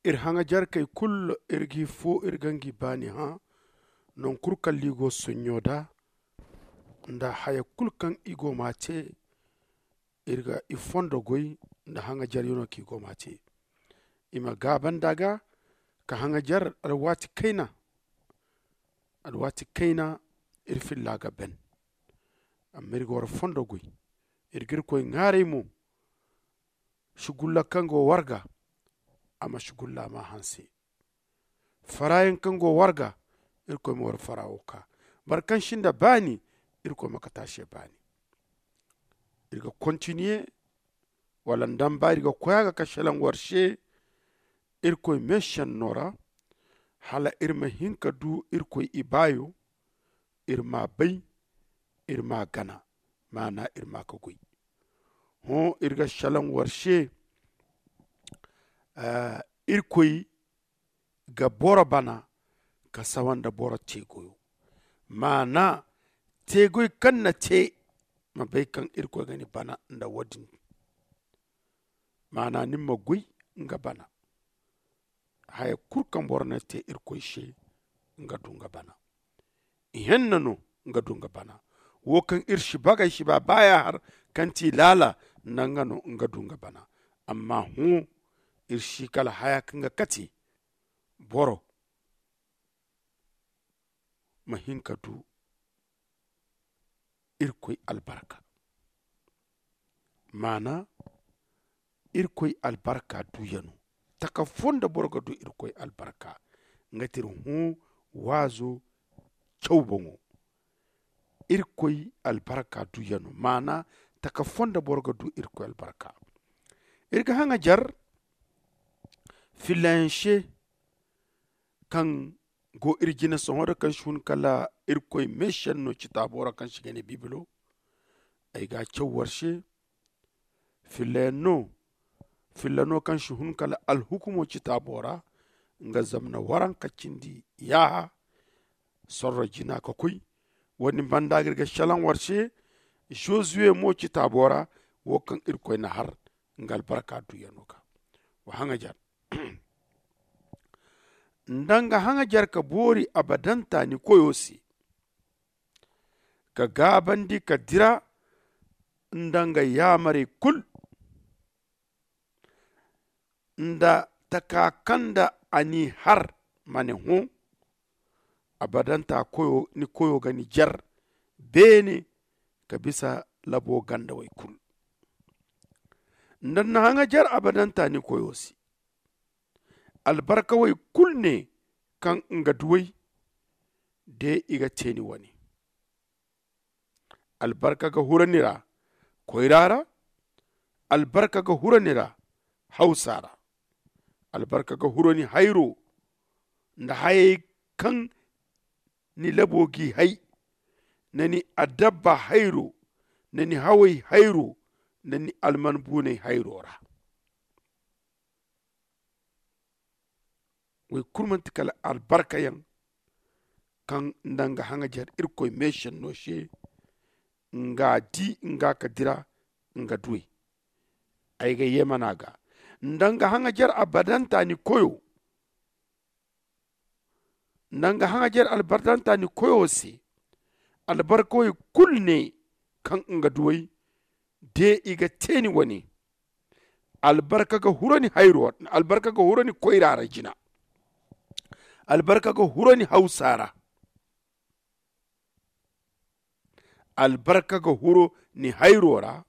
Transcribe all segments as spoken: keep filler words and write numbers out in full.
Iri haŋajarkey kulu, iri g'i fo, iri ga ngi baani hã. Noŋ kulu kaŋ liigo sonɲo da, nda haya kulu kaŋ i go m'a te, iri ga i fondo goy nda haŋajaryaŋo kaŋ i go m'a te. I ma gaaba nd'a ga ka haŋajar alwaati kayna. Alwaati kayna, iri filla ga ban. Amma iri ga war fondo goy. Iri ga irkoy ŋaaray mo. Sugulla kaŋ go war ga, a ma sugulla ma hanse. Farayaŋ kaŋ go war ga, irkoy ma war farawo ka. Boro kaŋ sinda baani, irkoy ma kate a se baani. Iri ga kontiniye, wala nda mba iri ga koy a ga ka selaŋ war se. Irkoy meesenno ra, hala iri ma hin ka du irkoy ibaayo. Iri m'a bay, iri m'a gana, maana iri m'a ka goy. Hõ, iri ga selaŋ war se. Irkoy ga boro bana ka sawa nda boro teegoyo. Maana, teegoy kaŋ na te, ma bay kaŋ irkoy ga ni bana nda wo- din. Maana, ni ma goy nga bana. Haya kulu kaŋ boro na te irkoy se, nga du nga bana. Ihenna no, nga du nga bana. Wo kaŋ iri si bagay si ba baaya har, kaŋ ti laala, nda nga no nga du nga bana. Amma hõ, iri si kala haya kaŋ ga kate boro ma hin ka du irkoy albarka. Maana, irkoy albarka duyano. Taka fo nda boro ga du irkoy albarka, nga ti iri hõ waazo caw boŋo. Irkoy albarka duyano, maana, taka fo nda boro ga du irkoy albarka. Iri ga haŋajar fillayaŋ se kaŋ go iri jine sohõ da kaŋ si hun kala irkoy meesenno citaabo ra kaŋ si ga ne bibilo. Ay ga a caw war se. Fillayaŋ no, filla no kaŋ si hun kala alhukumo citaabo ra. Nga zamna waranka cindi yaaha sorro jina ka koy. Wo- din banda ga iri ga selaŋ war se. Zozuwe mo citaabo ra, wo kaŋ irkoy na har nga albarka duyano ga. Wa haŋajar nda nga haŋajar ka boori abadanta ni koyo se, ka gaabandi ka dira nda nga yaamarey kulu, nda taka kaŋ nda a n'i har ma ne hõ. Abadanta koyo ni koyo ga ni jar beene ka bisa labo gandawey kulu. Nda ni na haŋajar abadanta ni koyo se, albarkawey kulu ne kaŋ nga duw'ey de i ga te ni wane. Albarka ga hura ni ra koyra ra. Albarka ga hura ni ra hawsa ra. Albarka ga hura ni hayro nda hayey kaŋ ni labo g'i hay, nda ni adabba hayro, nda ni hawey hayro, nda ni alman buuney hayro ra. Woy kulu manti kala albarkayaŋ kaŋ nda nga haŋajer irkoy meesenno se. Nga di nga ka dira nga duwey. Ay ga yeemana ga nda nga haŋajer abadanta ni koyo nda nga haŋajer albardanta ni koyo se. Albarkawey kulu ne kaŋ nga duwey de i ga te ni wane. Albarka ga huro ni hayro albarka ga huro ni koyra ra jina. Albarka ga huro ni hawsa ra. Albarka ga huro ni hayro ra.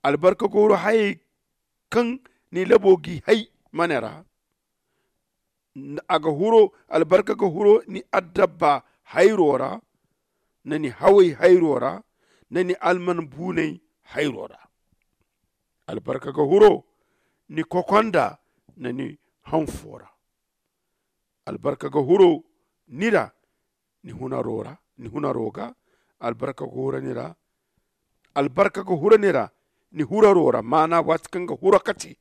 Albarka ga huro hayey kaŋ ni labo g'i hay mane ra. A ga huro albarka ga huro ni adabba hayro ra, nda ni hawey hayro ra, nda ni alman buuney hayro ra. Albarka ga huro ni kokonda nda ni hanfo ra. Albarka ga huro ni ra ni hunaro ga. Albarka ga huro ni ra. Albarka ga huro ni ra ni huraro ra maana waati kaŋ ga huro kate.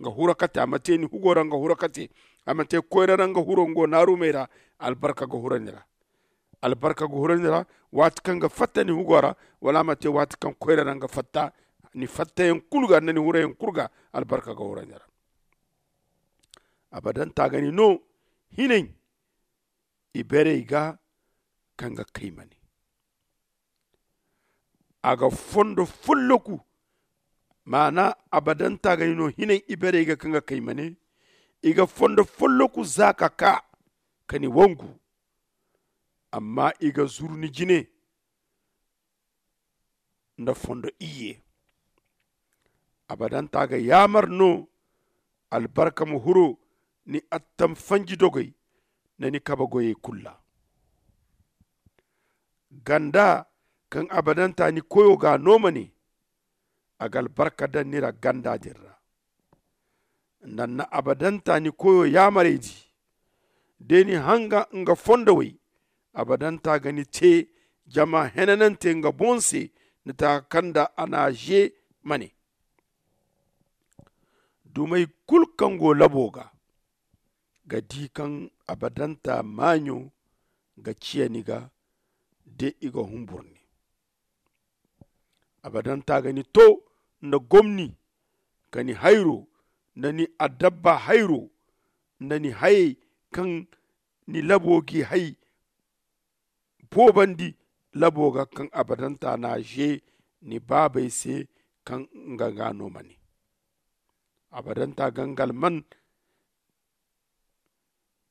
Nga huro kate a ma te ni hugo ra nga huro kate. A ma te koyra ra nga huro nga go naarumey ra. Albarka ga huro ni ra. Albarka ga huro ni ra waati kaŋ ga fatta ni hugo ra. Wala a ma te waati kaŋ koyra ra nga fatta ni fattayaŋ kulu ga nda ni hurayaŋ kulu ga. Albarka ga huro ni ra. Abadanta ga ni no hinay iberey ga kaŋ ga kay mane. A ga fondo folloku, maana abadanta ga ni no hinay iberey ga kaŋ ga kay mane. I ga fondo folloku za ka ka ka ni wangu. Amma i ga zuru ni jine nda fondo iyye. Abadanta ga yaamar no albarka ma huro ni attam fanji dogey nda ni kabe goyey kulu ra. Ganda kaŋ abadanta ni koyo ga a no ma ne, a ga albarka daŋ ni ra ganda din ra. Nda ni na abadanta ni koyo yaamarey di, da ni hanga nga fondowey, abadanta ga ni te jama henanante nga boŋ se, ni taka kaŋ nda a na a ze ma ne. Dumey kulu kaŋ go labo ga ga di kaŋ abadanta maaɲo ga ciya ni ga, de i ga humbur ni. Abadanta ga ni to nda gomni, ka ni hayro nda ni adabba hayro, nda ni hayey kaŋ ni labo g'i hay boobandi labo ga, kaŋ abadanta n'a ze ni baabey se, kaŋ nga ga no ma ne. Abadanta ga nga alman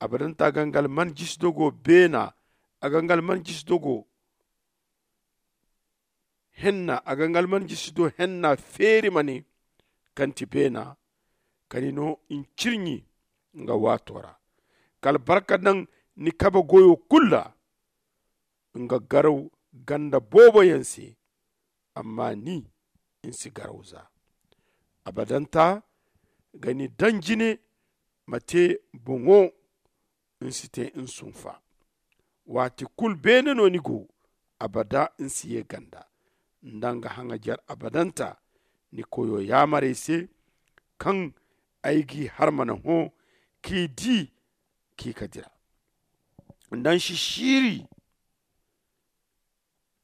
abadanta ga nga alman jisi dogo beena. A ga nga alman jisi dogo henna a ga nga alman jisi do henna feeri ma ne, kaŋ ti beena ka ni no ncirɲi nga waato ra. Ka albarka daŋ ni kabe goyo kulu ra. Nga garaw ganda booboyaŋ se, amma ni ni si garaw za. Abadanta ga ni daŋ jine ma te boŋo, ni si te nsunfa. Waati kulu beene no ni go, abada ni si ye ganda. Nda nga haŋajer abadanta ni koyo yaamarey se, kaŋ ay g'i harmana hõ k'i di, k'i ka dira. Nda ni si siiri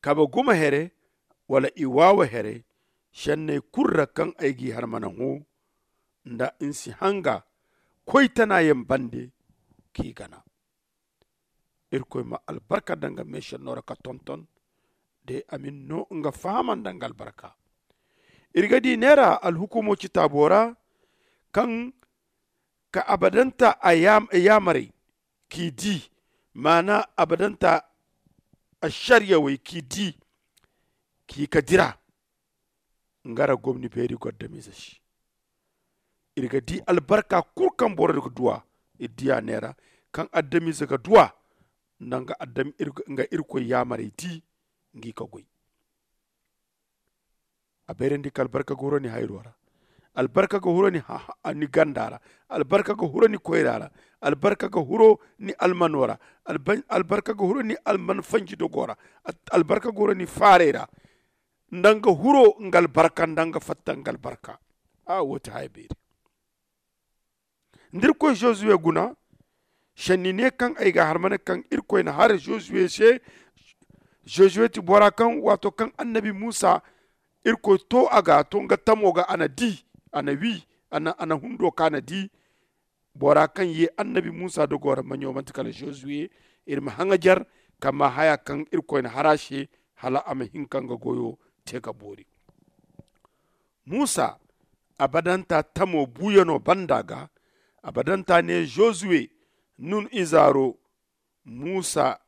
kabe gumo here wala i waawa here, senney kulu ra kaŋ ay g'i harmana hõ, nda ni si hanga koytanayaŋ bande k'i gana. Irkoy ma albarka daŋ nga meesenno ra ka tonton de a ma ni no nga fahama nda nga albarka. Iri ga di neera alhukumo citaabo ra, kaŋ ka abadanta a yaamarey k'i di, maana abadanta asariyawey k'i di, k'i ka dira. Nga ra gomni beeri go adamize se. Iri ga di albarka kulu kaŋ boro ga duwa. Iri diya neera kaŋ adamize ga duwa nda nga irkoy yaamarey di ngi ka goy. A bayrandi ka albarka ga huro ni hayro ra. Albarka ga huro ni ganda ra. Albarka ga huro ni koyra ra. Albarka ga huro ni almano ra. Albarka ga huro ni alman fanji dogo ra. Albarka ga huro ni faarey ra. Nda nga huro nga albarka nda nga fatta nga albarka. A wo ti haya beeri. Nda irkoy josuwe guna, senni ne kaŋ ay ga a harmane kaŋ irkoy na har josuwe se. Josuwe ti bora kaŋ waato kaŋ annabi musa irkoy to a ga to nga tamo ga a na di, a na wi, a na hundo kaŋ a na di. Bora kaŋ ye annabi musa dogo ra maɲo manti kala josuwe. Iri ma haŋajer ka ma haya kaŋ irkoy na har a se, hala a ma hin ka nga goyo te ka boori. Musa abadanta tamo buuyano banda ga. Abadanta ne josuwe, nun izaaro musa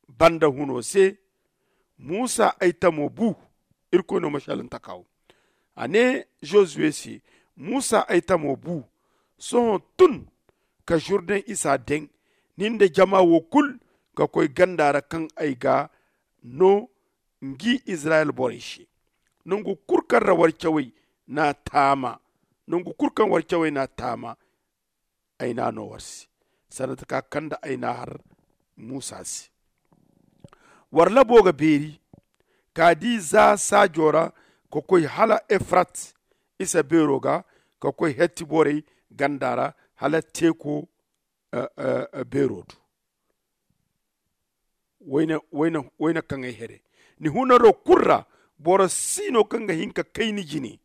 banda huno se, musa ay tamo bu. Irkoy no ma shalantaka wo. A ne josuwe se, musa ay tamo bu. Sohõ tun ka jurden isa deŋ, nin da jama wo kulu ka koy ganda ra kaŋ ay ga no ngi izirayel borey se. Nangu kulu kaŋ ra war cawey n'a taama nangu kulu kaŋ war cawey n'a taama, ay n'a no war se sanda taka kaŋ nda ay n'a har musa se. War labo ga beeri ka di za saajo ra ka koy hala efrat isa beero ga, ka koy hetti borey ganda ra hala teeko beero du. Wayna kaŋay here ni hunaro kulu ra, boro si no kaŋ ga hin ka kay ni jine.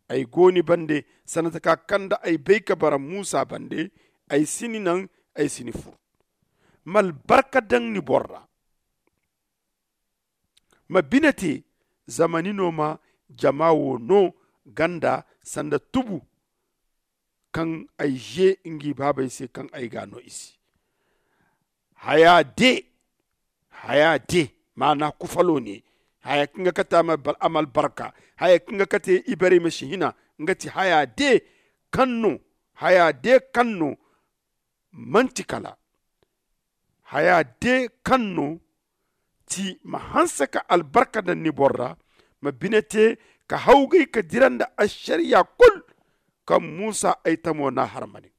Ay go ni bande sanda taka kaŋ nda ay bay ka bara musa bande. ay si ni naŋ, ay si ni fur. Ma albarka daŋ ni boro ra. Ma bine te, zama ni no ma jama wo no ganda sanda tubu kaŋ ay ze ngi baabey se kaŋ ay ga a no i se. Haya de, haya de, maana kufalo ne. Haya kaŋ ga kate a ma albarka, haya kaŋ ga kate ibarey ma si hina. Nga ti haya de kaŋ no, haya de kaŋ no manti kala haya de kaŋ no ti ma hanse ka albarka daŋ ni boro ra. Ma bine te ka hawgay ka dira nda ašariya kulu kaŋ musa ay tamo n'a har ma ne.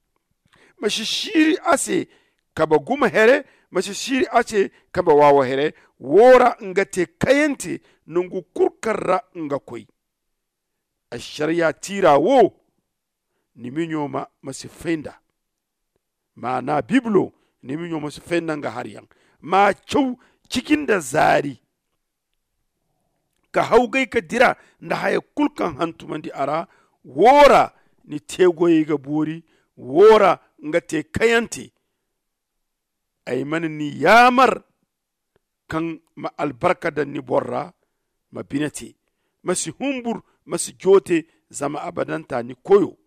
Ma si siiri a se kabe gumo here, ma si siiri a se kabe waawo here. Wo ra nga te kayante nangu kulu kaŋ ra nga koy. Ašariya tiira wo, ni miɲo ma si fay nd'a. Maana bibilo, ni miɲo ma si fay nda nga hari yaŋ. Ma caw ciji nda zaari ka hawgay ka dira nda haya kulu kaŋ hantumandi a ra. Wo ra ni teegoyey ga boori. Wo ra nga te kayante. Ay mana ni yaamar kaŋ ma albarka daŋ ni boro ra. Ma bine te, ma si humbur, ma si joote. Zama abadanta ni koyo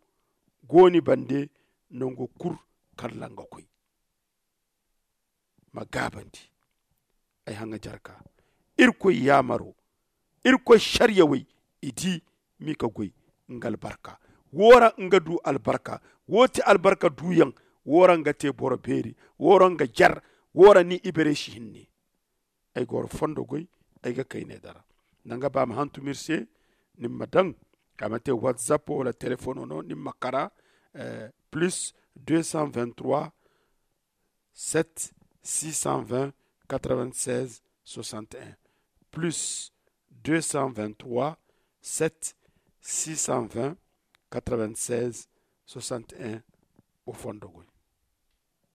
go ni bande nangu kulu kaŋ ra nga koy. Ma gaabandi ay haŋajarka. Irkoy yaamaro, irkoy sariyawey, i di m'i ka goy nga albarka. Wo ra nga du albarka. Wo ti albarka duyaŋ. Wo ra nga te boro beeri. Wo ra nga jar. Wo ra ni ibarey si hinne. Ay goro fondo goy, ay ga kay ne dara. Nda nga ba ma hantum iri se, ni ma daŋ a ma te whatsapp wala telefono no ni ma kara. Plus deux cent vingt-trois, sept six cent vingt, quatre-vingt-seize soixante et un. Plus deux cent vingt-trois, sept six cent vingt, quatre-vingt-seize soixante et un. O fondo goy.